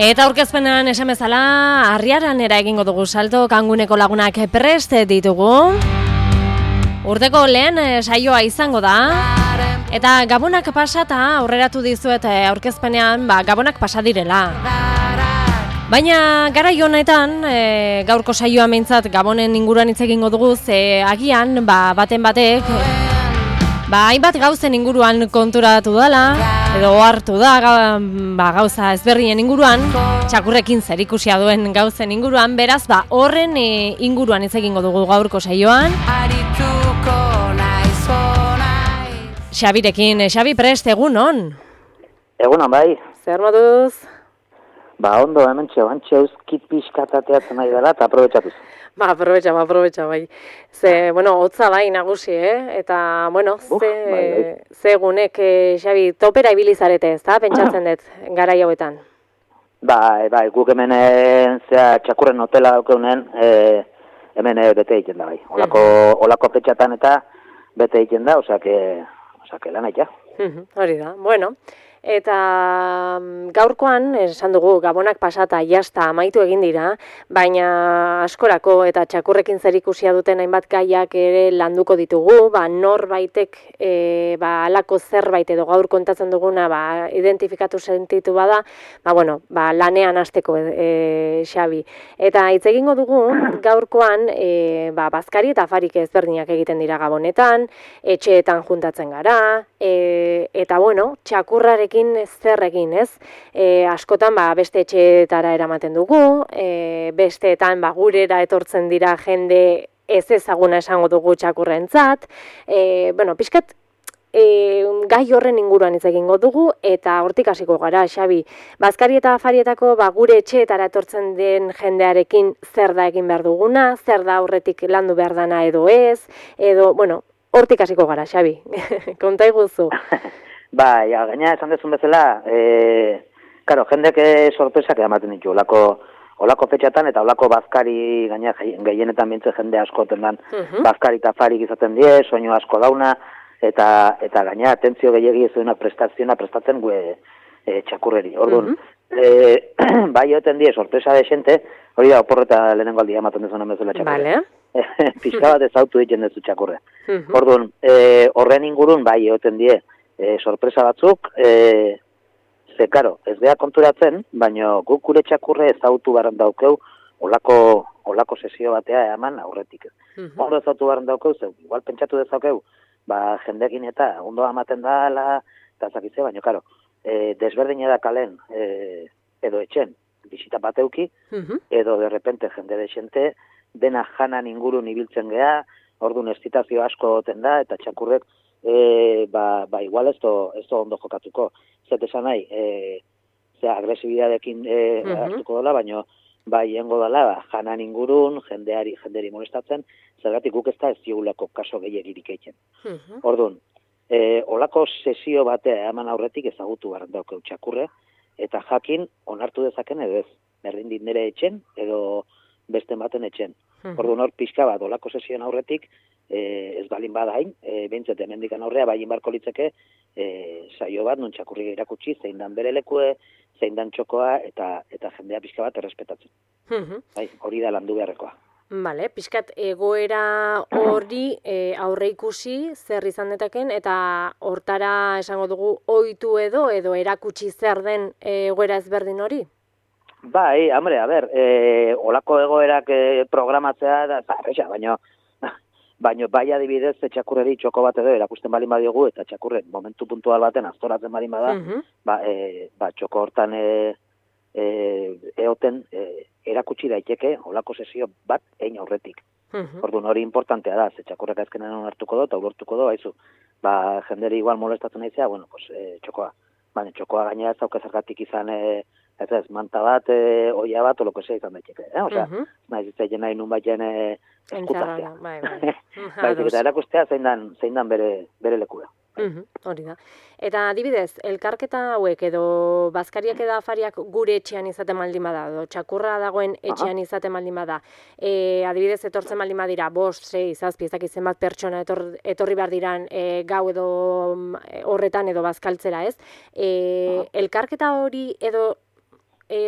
Eta aurkezpenean esan bezala, Arriaranera egingo dugu salto, Kanguneko lagunak prest ditugu. Urteko lehen saioa izango da. Eta gabonak pasata aurreratu dizuet aurkezpenean, gabonak pasa direla. Baina garai honetan, gaurko saioa meintzat gabonen inguruan hitz egingo dugu, ze agian baten batek hainbat gauzen inguruan konturatu dela, edo hartu da gauza ezberdinen inguruan, txakurrekin zerikusia duen gauzen inguruan, beraz horren inguruan hitz egingo dugu gaurko saioan. Xabirekin, Xabi prest, egunon? Egunon, bai. Zer moduz? Ondo, hementxe euskit pixkatateatzen nahi dela, eta aprobetxatuz. Aprobetxa, bai. Ze, hotza bai nagusi, Eta, ze egunek, Xabi, topera ibilizarete, ez da, pentsatzen dut, garai hauetan? Bai, guk hemen, txakurren hotela daukeunen, hemen bete egiten da, bai. Olako petxatan eta bete egiten da, osake lan aitea. Hori da, Eta gaurkoan, esan dugu, gabonak pasata jasta amaitu egin dira, baina askorako eta txakurrekin zerikusia duten hainbat gaiak ere landuko ditugu, norbaitek alako zerbait edo gaur kontatzen duguna identifikatu sentitu bada, lanean hasteko Xabi. Eta hitz egingo dugu, gaurkoan, bazkari eta afarik ezberdinak egiten dira gabonetan, etxeetan juntatzen gara, eta txakurrarek zer egin, ez? Askotan beste etxeetara eramaten dugu, besteetan gurera etortzen dira jende ez ezaguna esango dugu txakurrentzat. Pixkat gai horren inguruan hitz egingo dugu eta hortik hasiko gara, Xabi. Bazkari eta afarietako gure etxeetara etortzen den jendearekin zer da egin behar duguna, zer da aurretik landu behar dana edo ez, edo, hortik hasiko gara, Xabi. Konta iguzu. Gaina esan dezun bezala, jendek sorpresak ematen ditu, olako fetxatan eta olako bazkari, gaina gehienetan bintzen jende asko tendan, bazkari eta afarik izaten die, soinu asko dauna, eta gaina atentzio gehiagi ez duena prestatzen gue txakurreri. Orduan, bai joeten die sorpresa de xente, hori da oporreta lehenengo aldia ematen dezuna bezala txakurre. Pizka bat ezautu ditzen dezu txakurre. Orduan, horren ingurun bai joeten die, sorpresa batzuk, ez beha konturatzen, baina guk gure txakurre ezautu barren daukeu olako sesio batea eman aurretik. Ondo ezautu barren daukeu, igual pentsatu dezaukeu, jendekin eta ondo amaten dala, eta zakitze, baina, desberdin da kalen, edo etxen, bisita bateuki, edo derrepente jende desente, dena janan ingurun ibiltzen geha, orduan estitazio asko oten da, eta txakurrek igual ez ondo jokatuko. Zet esan nahi, agresibidadekin hartuko dela, baina jengo dela, janan ingurun, jenderi molestatzen, zergatik guk ez da ez diogulako kaso gehiagirik egiten. Orduan, olako sesio batea eman aurretik ezagutu barren daukeu txakurre, eta jakin onartu dezaken edo ez, berdin dit nire etxen, edo beste baten etxen. Orduan hor pixka bat, olako sesioen aurretik, ez balin badain, behintzete mendikan aurrea, bain barko litzeke, saio bat, non txakurri irakutsi, zein dan bere lekue, zein dan txokoa, eta jendea pixka bat errespetatzen. Hori da landu beharrekoa. Piskat egoera hori aurre ikusi zer izan detaken, eta hortara esango dugu ohitu edo erakutsi zer den egoera ezberdin hori? Olako egoerak programatzea da, baina bai adibidez txakurreri txoko bat edo erakusten balin badiogu, eta txakurren momentu puntual baten aztoratzen balin bada, txoko hortan eoten erakutsi daiteke olako sesio bat egin aurretik. Orduan hori importantea da, txakurrek azkenean onartuko do, eta ulortuko do, jenderi igual molestatzen naizea, txokoa. Baina txokoa gaina ez daukazargatik izan manta bat, oia bat, oloko zea izan daiteke. Naiz itzaien nahi nun baiten eskutaztea. Eta erakustea zein dan bere lekua. Hori da. Eta adibidez, elkarketa hauek edo bazkariak eta afariak gure etxean izaten baldin bada, edo txakurra dagoen etxean izaten baldin bada, adibidez etortzen baldin badira, 5, 6, 7, ez dakit zenbat pertsona etorri behar diran gau edo horretan edo bazkaltzera, ez? Elkarketa hori edo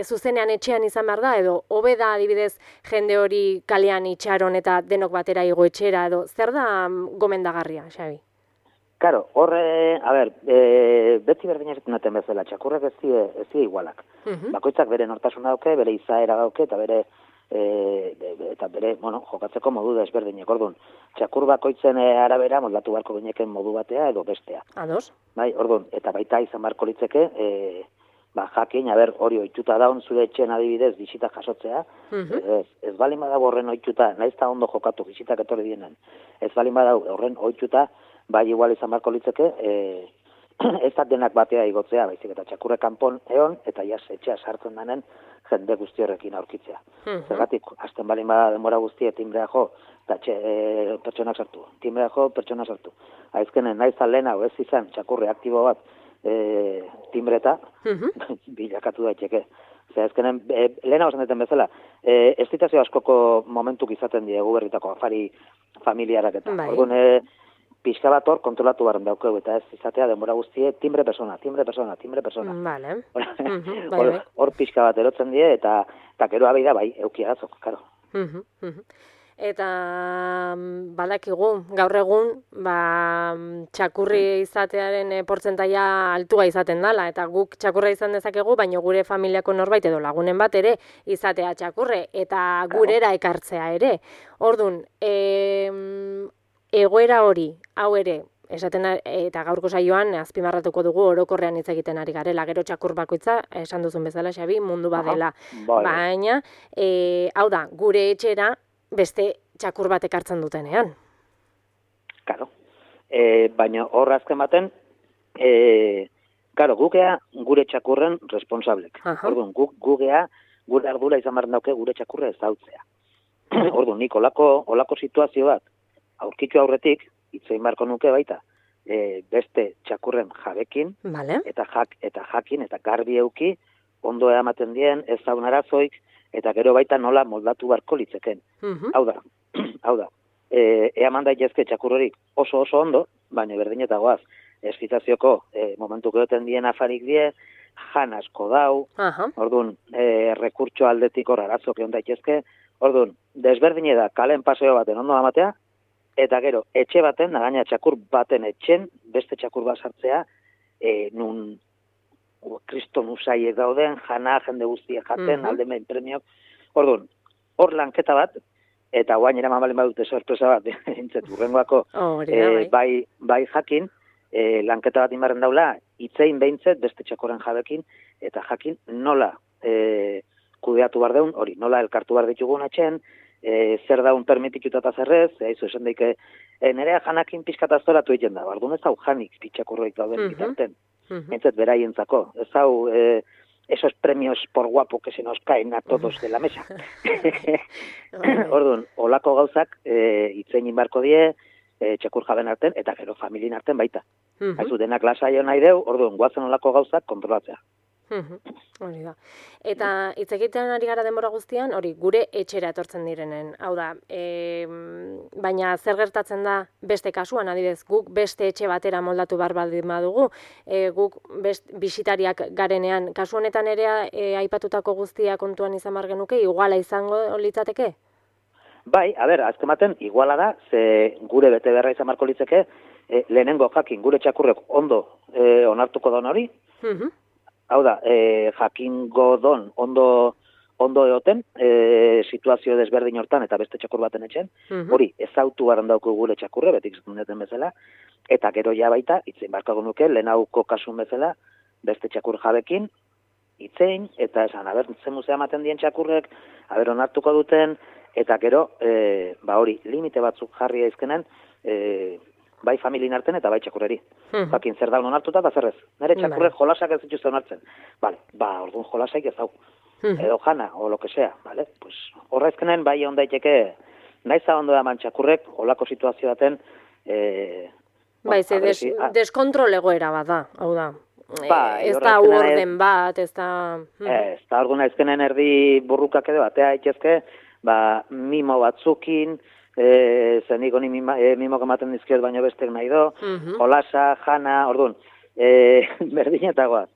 zuzenean etxean izan behar da, edo hobe da adibidez jende hori kalean itxaron eta denok batera igo etxera, edo zer da gomendagarria, Xabi? Karo, horre, beti berdin esaten duten bezala, txakurrek ez die igualak. Bakoitzak bere nortasuna dauke, bere izaera dauke, eta bere, jokatzeko modu desberdinek. Orduan, txakur bakoitzen arabera moldatu beharko gineken modu batea edo bestea. Ados? Bai, orduan, eta baita izan beharko litzeke, jakin, hori ohituta daun zure etxen adibidez bisita jasotzea, ez balin badago horren ohituta, naiz eta ondo jokatu bisitak etorri dienen, ez balin badago horren ohituta, bai igual izan beharko litzeke, ez da denak batea igotzea, baizik eta txakurre kanpon egon, eta jas etxea sartzen denen jende guzti horrekin aurkitzea. Zergatik, hasten balin bada denbora guztie timbrea jo, eta pertsonak sartu, timbrea jo, pertsona sartu. Aizkenen, naiz lehen hau ez izan txakurre aktibo bat timbreta, bilakatu daiteke. Zer, ezkenen, lehen hau esan bezala, estitazio askoko momentuk izaten diegu berritako afari familiarak eta. Orduan, pixka bat hor kontrolatu barren daukeu, eta ez izatea denbora guztie timbre persona. Vale. Hor pixka bat erotzen die, eta gero abida bai, eukiagazok, karo. Eta badakigu, gaur egun, txakurri izatearen portzentaia altua izaten dela, eta guk txakurra izan dezakegu, baina gure familiako norbait edo lagunen bat ere izatea txakurre, eta gurera ekartzea ere. Orduan, egoera hori, hau ere, esaten eta gaurko saioan azpimarratuko dugu orokorrean hitz egiten ari garela, gero txakur bakoitza, esan duzun bezala, Xabi, mundu badela. Baina, hau da, gure etxera beste txakur bat ekartzen dutenean. Karo. Baina hor azken baten, gukea gure txakurren responsablek. Orduan, gukea gure ardura izan behar dauke gure txakurre ez dautzea. Orduan, nik olako situazio bat aurkitu aurretik, itzein beharko nuke baita, beste txakurren jabekin, eta jakin, eta garbi euki, ondo ematen dien, ez zaun arazoik, eta gero baita nola moldatu beharko litzeken. Hau da, eaman daitezke txakurrorik oso ondo, baina berdin eta goaz, eskitazioko momentu geoten dien afarik die, jan asko dau, orduan, rekurtso aldetik hor arazok egon daitezke, orduan, desberdin da kalen paseo baten ondo amatea, eta gero, etxe baten, nagaina txakur baten etxen, beste txakur bat sartzea, nun kriston usaiek dauden, jende guztiek jaten, aldemen premiok. Orduan, hor lanketa bat, eta guain eraman balen badute sorpresa bat, entzet, urrengoako, bai jakin, lanketa bat inbarren daula, itzein behintzet beste txakoren jabekin, eta jakin nola kudeatu bar deun, hori, nola elkartu bar ditugun etxen, zer daun permitituta eta zerrez, esan daike, nerea janakin pizkatazoratu egiten da, barduan ez hau janik pitxakurroik dauden bitarten, entzet beraientzako, ez hau esos premios por guapo que se nos caen a todos de la mesa. Orduan, olako gauzak itzein inbarko die, txakur jaben arten, eta gero familien arten baita. Haizu denak lasaio nahi deu, orduan, guazen olako gauzak kontrolatzea. Hori da. Eta hitz egiten ari gara denbora guztian, hori gure etxera etortzen direnen. Hau da, baina zer gertatzen da beste kasuan, adibidez, guk beste etxe batera moldatu behar baldin badugu, guk bisitariak garenean, kasu honetan ere aipatutako guztia kontuan izan behar genuke, iguala izango litzateke? Bai, azken baten, iguala da, ze gure bete beharra izan beharko litzeke, lehenengo jakin gure txakurrek ondo onartuko don hori, hau da, jakingo don ondo egoten, situazio desberdin hortan eta beste txakur baten etxen, hori ezautu baran dauko gure txakurre, betik zuten bezala, eta gero ja baita, itzein barkago nuke, lehenauko kasun bezala, beste txakur jabekin, itzein, eta esan, zen muzea ematen dien txakurrek, onartuko duten, eta gero, hori, limite batzuk jarri aizkenen, bai familien arten eta bai txakurreri. Jakin zer daun onartuta eta zerrez. Nere txakurrek jolasak ez dituzte onartzen. Orduan jolasaik ez hau. Edo jana, o lo que sea. Horra ezkenen bai on daiteke, naiza ondo eman txakurrek, olako situazio daten... Deskontrol egoera bat da, hau da. Ez da orden bat, ez da... Ez da, orduan ezkenen erdi burrukak edo batea itxezke, mimo batzukin, zeniko ni mimok ematen dizkiot baino bestek nahi do, jolasa, jana, orduan, berdinetagoaz.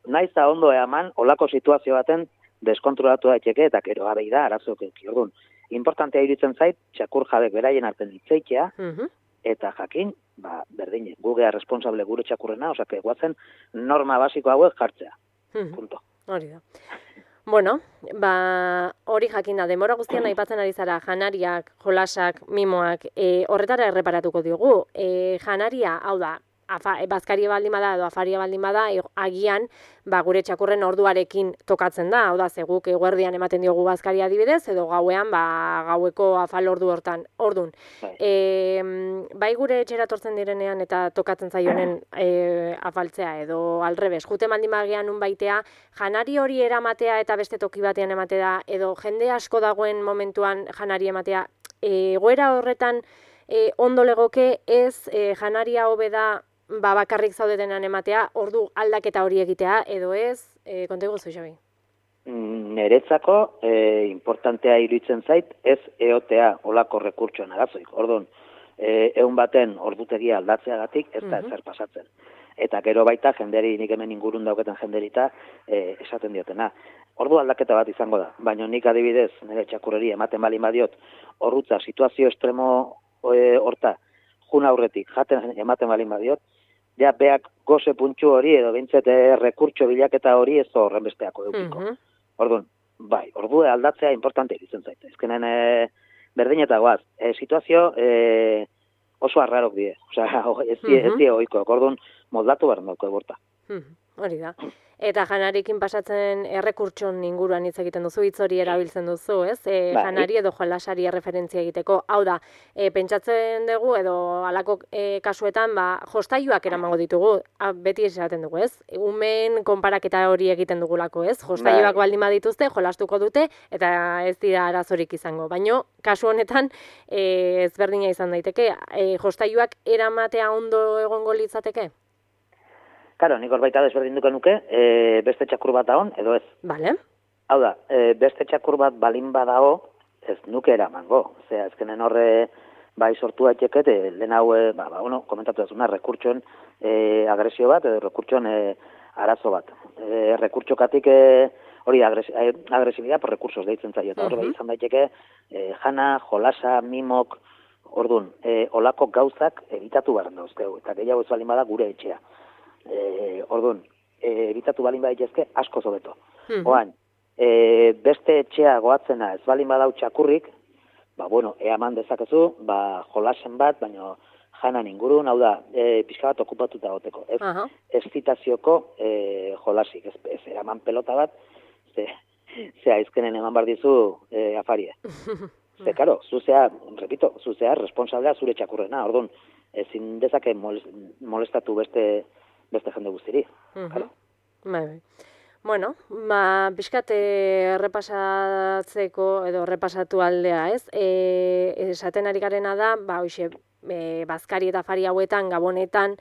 naiz da ondo eman, olako situazio baten deskontrolatu daiteke, eta gero abei da, arazok eki. Orduan, importantea iruditzen zait, txakur jabek beraien arten hitzeitea, eta jakin, berdin, gugea responsable gure txakurrena, osake, guazen norma basiko hauek jartzea. Punto. Hori da. Bueno, hori jakin da, denbora guztian aipatzen ari zara, janariak, jolasak, mimoak, horretara erreparatuko diogu. Janaria, hau da, bazkaria baldin bada edo afaria baldin bada, agian gure txakurren orduarekin tokatzen da, hau da, zeguk eguerdian ematen diogu bazkaria adibidez, edo gauean gaueko afal ordu hortan. Ordun, bai gure etxera tortzen direnean eta tokatzen zaionen afaltzea edo alrebes, jute baldin bagean unbaitea, janari hori eramatea eta beste toki batean ematea, edo jende asko dagoen momentuan janari ematea, egoera horretan ondo legoke ez janaria hobe da bakarrik zaudetenan ematea, ordu aldaketa hori egitea, edo ez, konta iguzu, Xabi? Neretzako importantea iruditzen zait, ez eotea olako rekurtsoen arazoik. Orduan, egun baten ordutegia aldatzeagatik ez da ezer pasatzen. Eta gero baita jenderi, nik hemen ingurun dauketen jenderita esaten diotena. Ordu aldaketa bat izango da, baina nik adibidez, nire txakurreri ematen balin badiot, horrutza situazio estremo horta, jun aurretik, jaten ematen balin badiot, ja beak goze puntxu hori edo bintzet rekurtso bilaketa hori ez horren besteako eukiko. Orduan, bai, ordu aldatzea importante iruditzen zait. Ezkenen berdin eta goaz. Situazio oso arrarok die. Osea, ez die oiko. Orduan, moldatu behar dauko eborta. Hori da. Eta janarekin pasatzen errekurtson inguruan hitz egiten duzu, hitz hori erabiltzen duzu, ez? Janari edo jolasari erreferentzia egiteko. Hau da, pentsatzen dugu edo halako kasuetan, jostailuak eramango ditugu, beti esaten dugu, ez? Umeen konparaketa hori egiten dugulako, ez? Jostailuak baldin badituzte, jolastuko dute, eta ez dira arazorik izango. Baina, kasu honetan, ezberdina izan daiteke, jostailuak eramatea ondo egongo litzateke? Karo, nik horbaita desberdinduko nuke, beste txakur bat daon, edo ez. Bale. Hau da, beste txakur bat balin badao, ez nuke eramango. Osea, ezkenen horre bai sortu daiteket, lehen hau, komentatu dazuna, rekurtsoen agresio bat, edo rekurtsoen arazo bat. Rekurtsokatik hori agresibidea por recursos deitzen zaio, eta horre bai izan daiteke, jana, jolasa, mimok, orduan, olako gauzak evitatu behar dauzkegu, eta gehiago ez balin bada gure etxea. Orduan, ebitatu balin baditezke asko zobeto. Oan, beste etxea goatzena ez balin badau txakurrik, eaman dezakezu, jolasen bat, baina janan ingurun, hau da, pixka bat okupatuta goteko. Ez zitazioko jolasik, ez eraman pelota bat, ze aizkenen eman bar dizu afarie. Ze, karo, zuzea responsablea zure txakurrena, orduan, ezin dezake molestatu beste jende guztiri. Bueno, pixkat errepasatzeko edo errepasatu aldea, ez? Esaten ari garena da, hoxe, bazkari eta afari hauetan, gabonetan,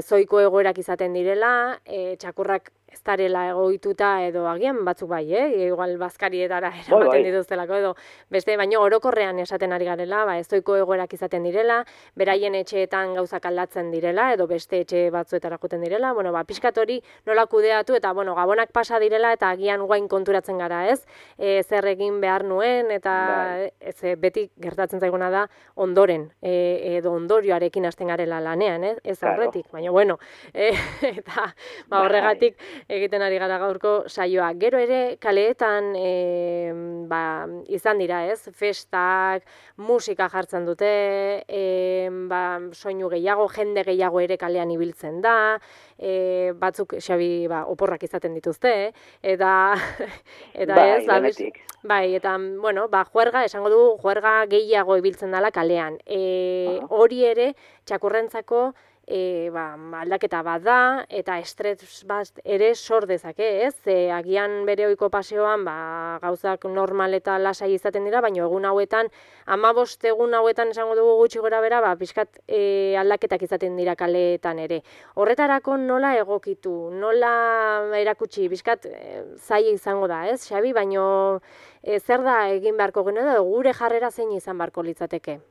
zoiko egoerak izaten direla, txakurrak ez darela egoituta edo agian batzuk bai, igual bazkarietara eramaten dituztelako edo beste, baino orokorrean esaten ari garela, ezoiko egoerak izaten direla, beraien etxeetan gauzak aldatzen direla edo beste etxe batzuetara joten direla, pixkat hori nola kudeatu eta gabonak pasa direla eta agian guain konturatzen gara, ez? Zer egin behar nuen eta beti gertatzen zaiguna da ondoren edo ondorioarekin hasten garela lanean, ez aurretik, baina eta horregatik egiten ari gara gaurko saioa. Gero ere kaleetan izan dira, ez? Festak, musika jartzen dute, soinu gehiago, jende gehiago ere kalean ibiltzen da, batzuk Xabi oporrak izaten dituzte, eta ez, eta juerga, esango dugu, juerga gehiago ibiltzen dela kalean. Hori ere, txakurrentzako aldaketa bat da, eta estres bat ere sor dezake, ez? Agian bere ohiko paseoan gauzak normal eta lasai izaten dira, baina egun hauetan, 15 egun hauetan esango dugu gutxi gora bera, pixkat aldaketak izaten dira kaleetan ere. Horretarako nola egokitu, nola erakutsi, pixkat zaila izango da, ez, Xabi? Baina zer da egin beharko genuen, edo gure jarrera zein izan beharko litzateke?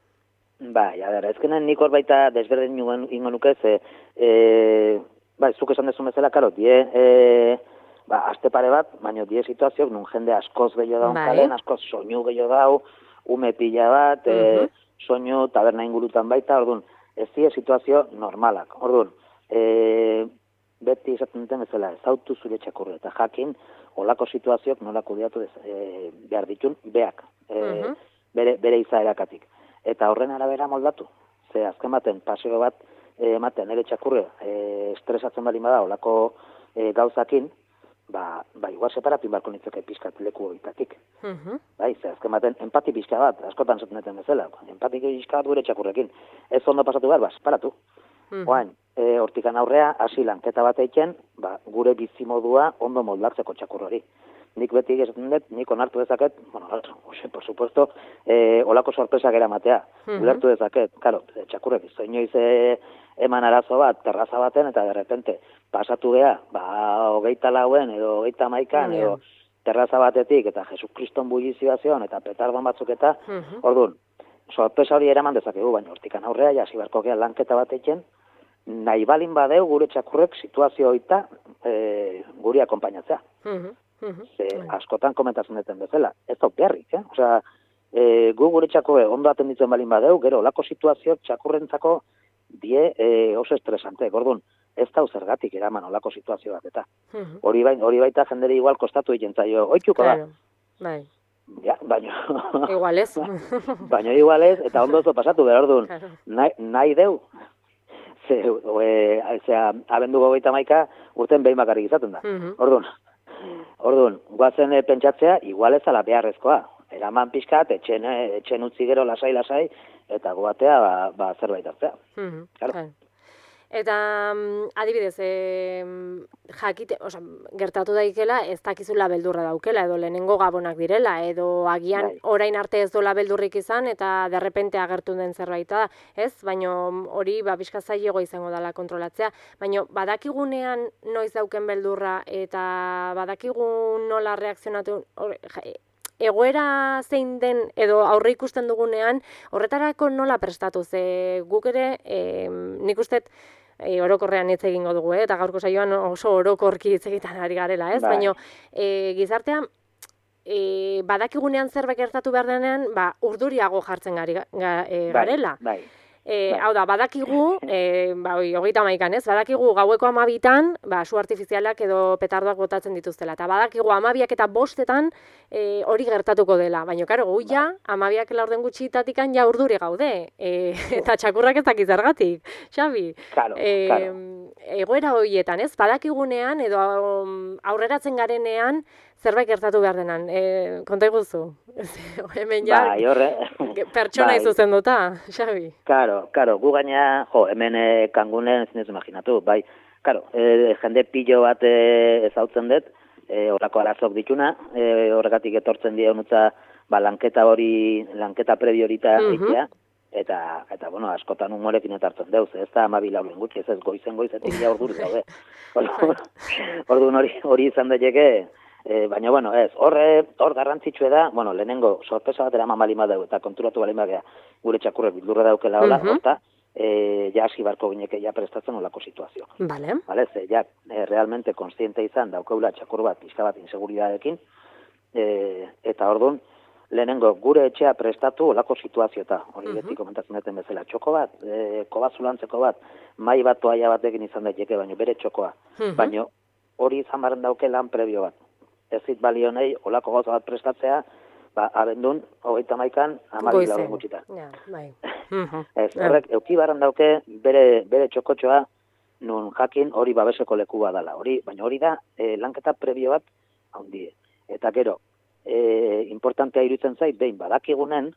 Ezkenen nik hor baita desberdin ingo nuke, bai, zuk esan dezun bezala, karo, aste pare bat, baina die situazioak nun jende askoz gehiago daun kalen, askoz soinu gehiago dau, ume pila bat, soinu, taberna ingurutan baita, orduan, ez die situazio normalak. Orduan, beti esaten duten bezala, ezautu zure txakurra, eta jakin, olako situazioak nola kudeatu behar ditun, beak, bere izaerakatik. Eta horren arabera moldatu. Ze azken baten, paseo bat, ematen, ere txakurre, estresatzen bali bada, olako gauzakin, igual separatu inbarko nitzeke pizkat leku horitatik. Bai, ze azken baten, empati pizka bat, askotan zaten bezala, empati pizka bat gure txakurrekin. Ez ondo pasatu behar, separatu. Oain, hortikan aurrea, hasi lanketa bat eiken, gure bizimodua ondo moldatzeko txakurrori. Nik beti esaten dut, nik onartu dezaket, por supuesto, olako sorpresak eramatea. Ulertu dezaket, karo, txakurrek, inoiz eman arazo bat, terraza baten, eta de repente, pasatu geha, 24 edo 31 edo terraza batetik, eta Jesukriston bullizioazion, eta petardon batzuk eta, orduan, sorpresa hori eraman dezakegu, baina hortikan aurrea, jasi barko geha lanketa bat eiken, nahi balin badeu gure txakurrek situazio hoita guri akompainatzea. Askotan komentatzen duten bezala, ez da beharrik, Osea, gu gure txakurre ondo atenditzen balin badeu, gero olako situazioak txakurrentzako die oso estresante, gordun, ez da zergatik eraman olako situazio bat, eta hori baita jenderi igual kostatu egin zaio, oituko da. Bai. Ja, baina... Igual ez. Baina igual ez, eta ondo zo pasatu, behar orduan, nahi deu, abendu 21 urten behin bakarrik izaten da. Orduan, guazen pentsatzea, igual ez ala beharrezkoa. Eraman pixkat, etxen utzi gero lasai, eta guatea zerbait hartzea. Eta, adibidez, gertatu daikela, ez dakizula beldurra daukela, edo lehenengo gabonak direla, edo agian orain arte ez dola beldurrik izan, eta derrepente agertu den zerbaita da, ez? Baina hori, pixka zailego izango dela kontrolatzea. Baina, badakigunean noiz dauken beldurra, eta badakigun nola reakzionatu, egoera zein den, edo aurre ikusten dugunean, horretarako nola prestatu, ze guk ere, nik ustet, orokorrean hitz egingo dugu, eta gaurko saioan oso orokorki hitz egiten ari garela, ez? Baina, gizartean, badakigunean zerbait gertatu behar denean, urduriago jartzen garela. Hau da, badakigu, 31an, ez? Badakigu gaueko 12an, su artifizialak edo petardoak botatzen dituztela. Eta badakigu 12ak eta 5etan hori gertatuko dela. Baina, karo, gu ja, 12ak laurden gutxitatikan ja urduri gaude. Eta txakurrak ez dakiz zergatik, Xabi. Egoera horietan, ez? Badakigunean edo aurreratzen garenean zerbait gertatu behar denan. Konta iguzu? Hemen ja, pertsona izuzen duta, Xabi. Karo, gu gaina, hemen kangunen ez nezu imaginatu, bai. Karo, jende pillo bat ezautzen dut, horako arazok dituna, horregatik etortzen dira honutza, lanketa prebi horita egitea, eta, bueno, askotan humorekin etartzen deuz, ez da 12 lauren gutxi, ez goizetik ja orduri daude. Orduan hori izan daiteke, baina, bueno, ez, hor garrantzitsue da, bueno, lehenengo sorpresa bat eraman balima dugu, eta konturatu balima gea, gure txakurrek bildurra daukela hola, horta, ja hasi barko gineke ja prestatzen olako situazio. Vale. Ze, ja, realmente konstiente izan daukeula txakur bat, pixka bat inseguridadekin, eta orduan, lehenengo gure etxea prestatu olako situazio eta, hori beti komentatzen duten bezala, txoko bat, kobazulantzeko bat, mai bat toaia batekin izan daiteke, baina bere txokoa, baina hori izan barren dauke lan prebio bat. Ez zit balionei olako gauza bat prestatzea, abendun, 31an, 12 lauren gutxitan. Ez, horrek, euki barren dauke bere txokotxoa, nun jakin hori babeseko leku badala. Baina hori da, lanketa prebio bat handie. Eta gero, importantea iruditzen zait, behin badakigunen,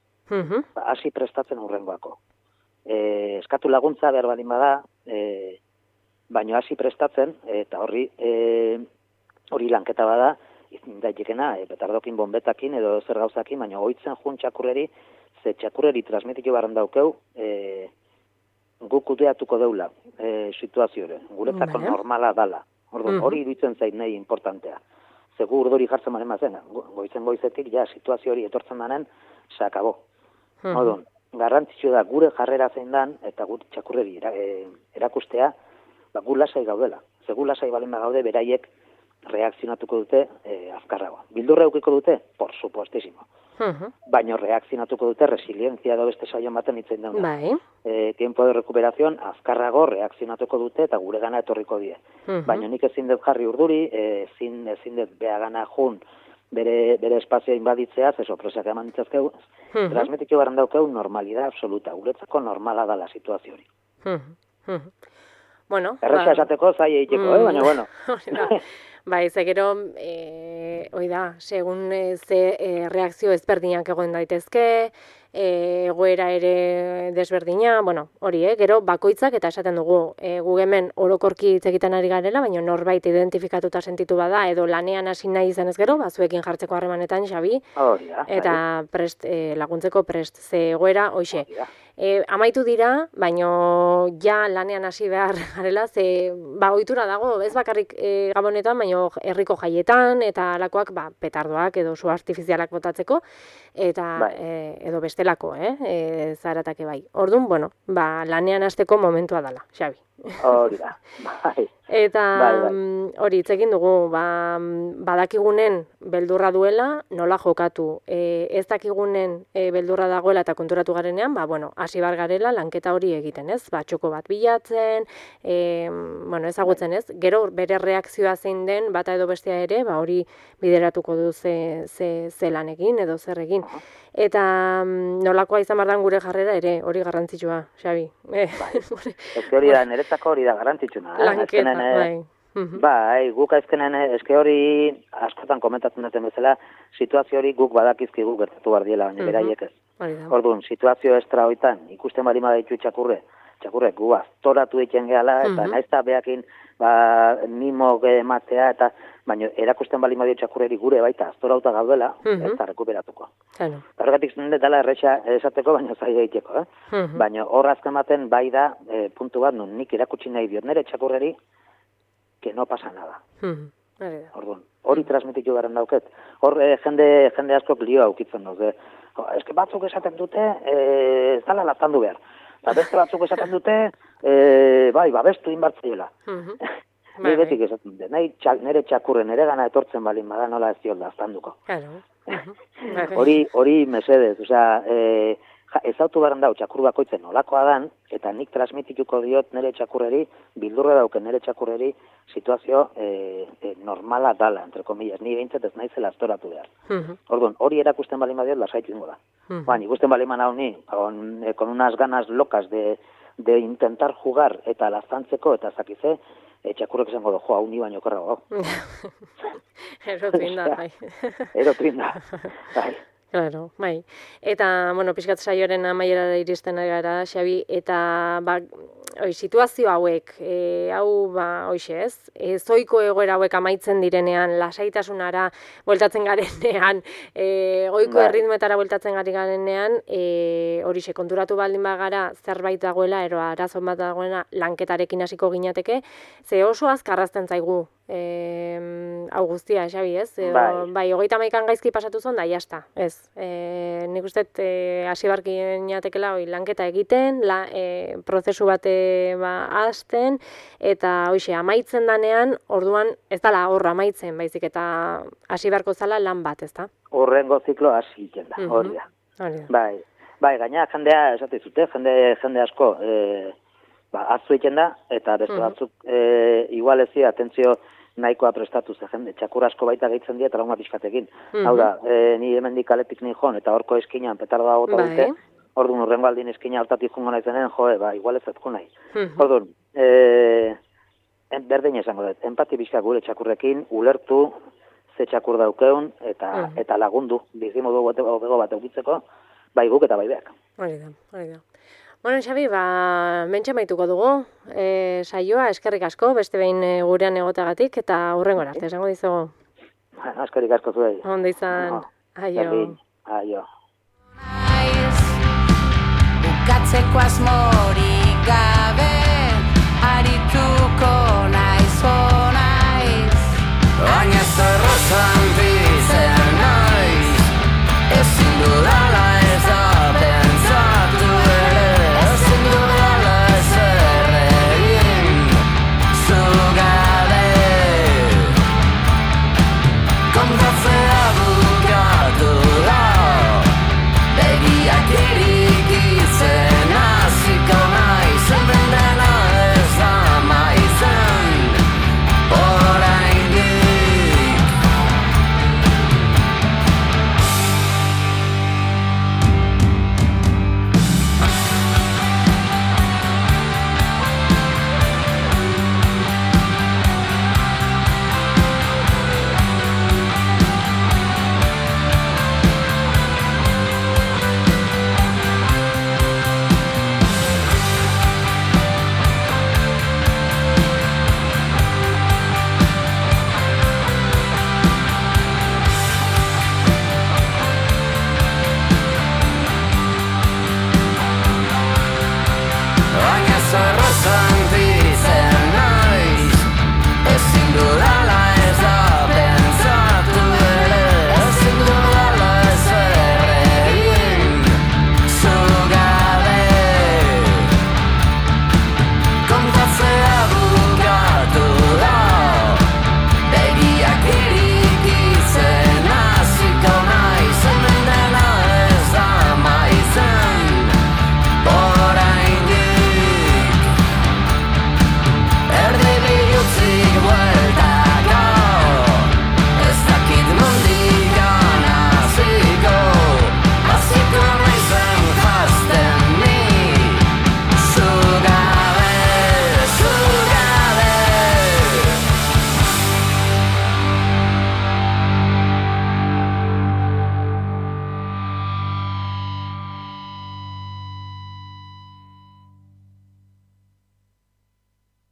hasi prestatzen hurrengoako. Eskatu laguntza behar balin bada, baina hasi prestatzen, eta hori lanketa bada, izin daitekena, petardokin bombetakin edo zer gauzakin, baina oitzen jun txakurreri, ze txakurreri transmitiko barren daukeu, guk kudeatuko deula situazio hori, guretzako normala dala. Hori iruditzen zait nahi importantea. Zegu urduri jartzen baren mazen, goizetik, ja, situazio hori etortzen danen, se akabo. Odun, garrantzitsua da gure jarrera zein dan, eta gure txakurreri erakustea, gu lasai gaudela. Segu lasai balin bagaude, beraiek reakzionatuko dute azkarrago. Bildurra eukiko dute? Por supuestísimo. Baina reakzionatuko dute resilientzia edo beste saion baten hitzein dauna. Bai. Tiempo de recuperación azkarrago reakzionatuko dute eta gure gana etorriko die. Baina nik ezin dut jarri urduri, ezin dut beagana jun bere espazioa inbaditzea, ze sorpresak eman ditzazkeu, transmititu garen daukeu normalidad absoluta, guretzako normala da la situazio hori. Bueno, erresa esateko zai egiteko, baina bueno. Bai, ze gero, oida, segun ze reakzio ezberdinak egon daitezke, egoera ere desberdina, bueno, hori, gero bakoitzak eta esaten dugu, gu hemen orokorki hitz egiten ari garela, baina norbait identifikatuta sentitu bada, edo lanean hasi nahi izanez gero, zuekin jartzeko harremanetan, Xabi, eta prest, laguntzeko prest, ze egoera, hoxe. Amaitu dira, baino ja lanean hasi behar garela, ze ohitura dago, ez bakarrik Gabonetan, baino herriko jaietan, eta alakoak petardoak edo su artifizialak botatzeko, eta edo bestelako, zaratake bai. Orduan, bueno, lanean hasteko momentua dela, Xabi. Hori da, bai. Eta hori, hitz egin dugu, badakigunen beldurra duela, nola jokatu. Ez dakigunen beldurra dagoela eta konturatu garenean, bueno, hasi bar garela lanketa hori egiten, ez? Txoko bat bilatzen, bueno, ezagutzen, ez? Gero bere reakzioa zein den, bata edo bestea ere, hori bideratuko du ze lan egin edo zer egin. Eta nolakoa izan bardan gure jarrera ere, hori garrantzitsua, Xabi. Ez hori da, niretzako hori da garrantzitsuna. Lanketa, bai. Bai, guk azkenen, eske hori askotan komentatzen duten bezala, situazio hori guk badakizkigu gertatu bardiela, baina beraiek ez. Orduan, situazio estra hoitan, ikusten bali madaitu txakurrek gu aztoratu egiten gehala, eta naizta behakin mimo ematea, eta baina erakusten bali madaitu txakurreri gure baita aztorauta gaudela, ez da rekuperatuko. Horregatik dela erresa esateko, baina zaila egiteko. Baina hor azken baten bai da puntu bat, nun nik erakutsi nahi diot nire txakurreri, que no pasa nada. Orduan, hori transmititu garen dauket. Hor jende askok lioa aukitzen daude. Eske batzuk esaten dute, ez dala laztandu behar. Eta beste batzuk esaten dute, babestu inbartzaiela. Ni betik esaten dute, nire txakurren ere gana etortzen balin bada nola ez diot laztanduko. Hori mesedez, osea, ezautu garen dau txakur bakoitzen nolakoa dan, eta nik transmitituko diot nire txakurreri, bildurre dauken nire txakurreri, situazio normala dala, entre comillas, ni behintzat ez naizela aztoratu behar. Orduan, hori erakusten balin badiot, lasaitu ingo da. Ikusten balin manau ni, con unas ganas locas de intentar jugar eta laztantzeko, eta zakize, txakurrek esango du, hau ni baino korrago. Erotrinda, bai. Erotrinda, bai. Claro, bai. Eta, bueno, pixkat saioaren amaierara iristen ari gara, Xabi, eta situazio hauek, hoxe ez, zoiko egoera hauek amaitzen direnean, lasaitasunara bueltatzen garenean, oiko erritmoetara bueltatzen gari garenean, horixe konturatu baldin bagara zerbait dagoela, ero arazon bat dagoena lanketarekin hasiko ginateke, ze oso azkarrazten zaigu hau guztia, Xabi, ez? Bai, 31 gaizki pasatu zon da, jazta, ez. Nik uste hasi barki natekela lanketa egiten, prozesu bate hasten, eta hoxe, amaitzen danean, orduan ez dala horra amaitzen, baizik eta hasi barko zala lan bat, ez da? Horrengo ziklo hasi egiten da, hori da. Bai, gaina jendea, esate zute, jende asko, azu egiten da, eta beste batzuk, igual ezi, atentzio nahikoa prestatu ze jende, txakur asko baita gehitzen dira trauma pixkatekin. Hau da, ni hemendik kaletik nahi joan, eta horko eskinan petardoa gota dute, orduan urrengo aldin eskina hortatik jungo naizenen, igual ez etku nahi. Orduan, berdin esango dut, empati pixka gure txakurrekin, ulertu, ze txakur daukeun, eta lagundu, bizimodu bego bat eukitzeko, bai guk eta bai beak. Hori da. Bueno, Xabi, mentxe maituko dugu, saioa, eskerrik asko, beste behin gurean egoteagatik, eta hurrengo arte, esango dizugu. Eskerrik asko zuei. Ondo izan, aio. Aio. Bukatzeko asmorik gabe, arituko naiz, baina zorrozan bizen naiz, ezin dudala ez da pentsatu ere, ezin dudala ez erregin, zugar bukatzea